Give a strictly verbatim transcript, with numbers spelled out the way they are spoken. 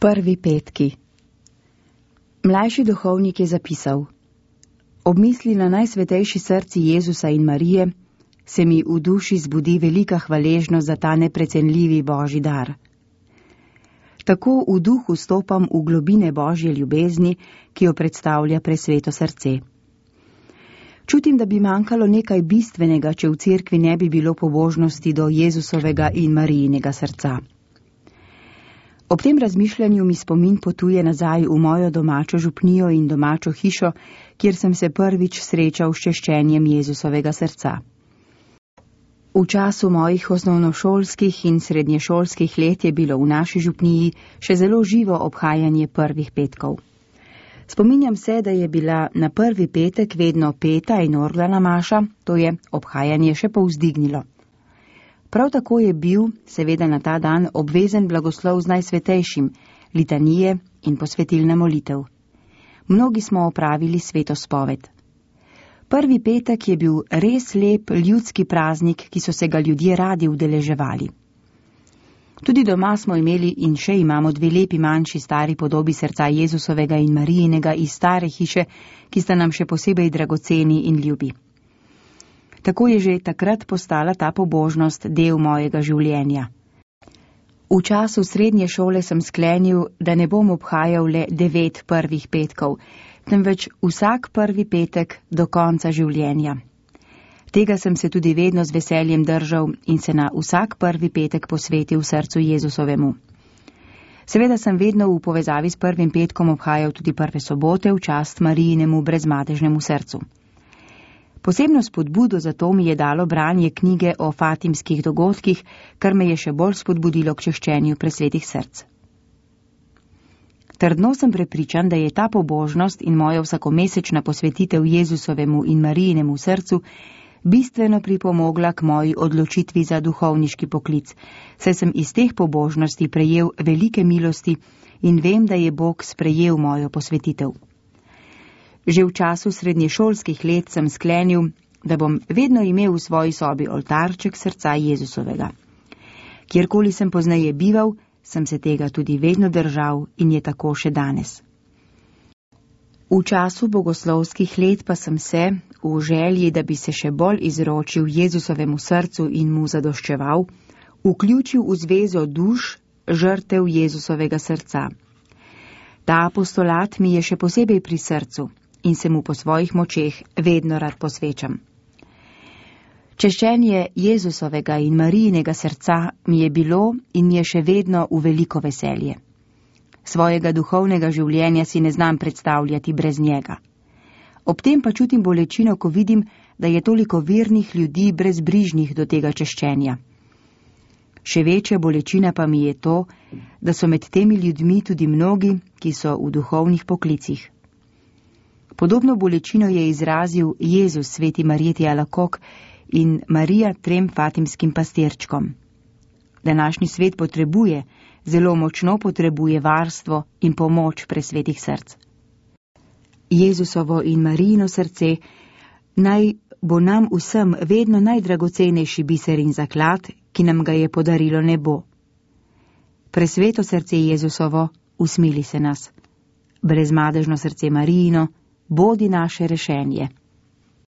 Prvi petki. Mlajši duhovnik je zapisal: Ob misli na najsvetejši srci Jezusa in Marije se mi v duši zbudi velika hvaležnost za ta neprecenljivi Božji dar. Tako v duhu stopam v globine Božje ljubezni, ki jo predstavlja presveto srce. Čutim, da bi manjkalo nekaj bistvenega, če v cerkvi ne bi bilo pobožnosti do Jezusovega in Marijinega srca. Ob tem razmišljanju mi spomin potuje nazaj v mojo domačo župnijo in domačo hišo, kjer sem se prvič srečal s češčenjem Jezusovega srca. V času mojih osnovnošolskih in srednješolskih let je bilo v naši župniji še zelo živo obhajanje prvih petkov. Spominjam se, da je bila na prvi petek vedno peta in orglana maša, to je obhajanje še povzdignilo. Prav tako je bil, seveda na ta dan, obvezen blagoslov z najsvetejšim, litanije in posvetilna molitev. Mnogi smo opravili sveto spoved. Prvi petek je bil res lep ljudski praznik, ki so se ga ljudje radi udeleževali. Tudi doma smo imeli in še imamo dve lepi manjši stari podobi srca Jezusovega in Marijinega iz stare hiše, ki sta nam še posebej dragoceni in ljubi. Tako je že takrat postala ta pobožnost del mojega življenja. V času srednje šole sem sklenil, da ne bom obhajal le devet prvih petkov, temveč vsak prvi petek do konca življenja. Tega sem se tudi vedno z veseljem držal in se na vsak prvi petek posvetil srcu Jezusovemu. Seveda sem vedno v povezavi s prvim petkom obhajal tudi prve sobote v čast Marijinemu brezmadežnemu srcu. Posebno spodbudo za to mi je dalo branje knjige o fatimskih dogodkih, kar me je še bolj spodbudilo k češčenju presvetih src. Trdno sem prepričan, da je ta pobožnost in moja vsakomesečna posvetitev Jezusovemu in Marijinemu srcu bistveno pripomogla k moji odločitvi za duhovniški poklic, saj sem iz teh pobožnosti prejel velike milosti in vem, da je Bog sprejel mojo posvetitev. Že v času srednješolskih let sem sklenil, da bom vedno imel v svoji sobi oltarček srca Jezusovega. Kjerkoli sem pozneje bival, sem se tega tudi vedno držal in je tako še danes. V času bogoslovskih let pa sem se, v želji, da bi se še bolj izročil Jezusovemu srcu in mu zadoščeval, vključil v zvezo duš žrtev Jezusovega srca. Ta apostolat mi je še posebej pri srcu in se mu po svojih močeh vedno rad posvečam. Češčenje Jezusovega in Marijinega srca mi je bilo in mi je še vedno v veliko veselje. Svojega duhovnega življenja si ne znam predstavljati brez njega. Ob tem pa čutim bolečino, ko vidim, da je toliko vernih ljudi brezbrižnih do tega češčenja. Še večja bolečina pa mi je to, da so med temi ljudmi tudi mnogi, ki so v duhovnih poklicih. Podobno bolečino je izrazil Jezus sveti Marjeti Alakok in Marija trem fatimskim pastirčkom. Današnji svet potrebuje, zelo močno potrebuje varstvo in pomoč presvetih src. Jezusovo in Marijino srce naj bo nam vsem vedno najdragocenejši biser in zaklad, ki nam ga je podarilo nebo. Presveto srce Jezusovo, usmili se nas. Brezmadežno srce Marijino, bodi naše rešenje.